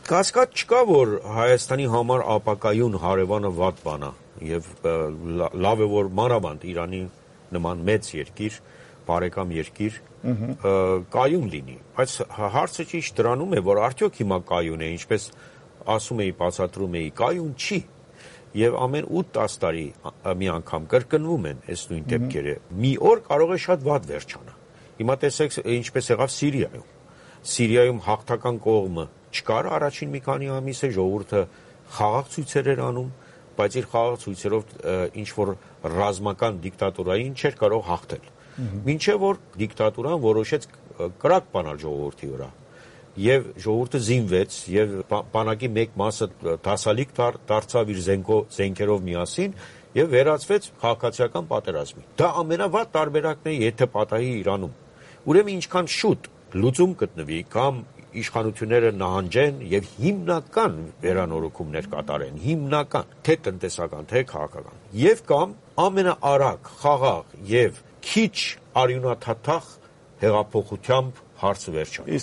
Կասկած չկա, որ Հայաստանի համար ապակայուն հարևանը վատ բան է եւ լավ է, որ մանավանդ Իրանի նման մեծ երկիր, բարեկամ երկիր կայուն լինի, բայց հարցը ճիշտ դրանում է, որ արդյոք հիմա կայուն է, ինչպես ասում էի, բացատրում էի, կայուն չի եւ ամեն 8-10 տարի մի անգամ կրկնվում են այս նույն դեպքերը։ Մի օր կարող է շատ վատ վերջանա։ Հիմա տեսեք ինչպես եղավ Սիրիայում։ Սիրիայում հաղթական կողմը չկար առաջին մի քանի ամիսը, ժողովուրդը խաղաղ ցույցեր էր անում, բայց իր խաղաղ ցույցերով ինչ որ ռազմական դիկտատորային չէր կարող հաղթել։ Մինչև որ դիկտատորան որոշեց կրակ բանալ ժողովրդի վրա, եւ ժողովուրդը զինվեց, եւ բանակի մեկ մասը դասալիկ դարձավ իր զենքերով միասին եւ վերածվեց քաղաքացիական պատերազմի։ Դա ամենավատ տարբերակն է, եթե պատահի Իրանում։ Ուրեմն ինչքան շուտ լուծում գտնվի կամ իշխանությունները նահանջեն եւ հիմնական վերանորոգումներ կատարեն, հիմնական, թե տնտեսական, թե քաղաքական, եւ կամ ամենաարագ, խաղաղ եւ քիչ արյունաթաթախ հեղափոխությամբ հարցը վերջանա։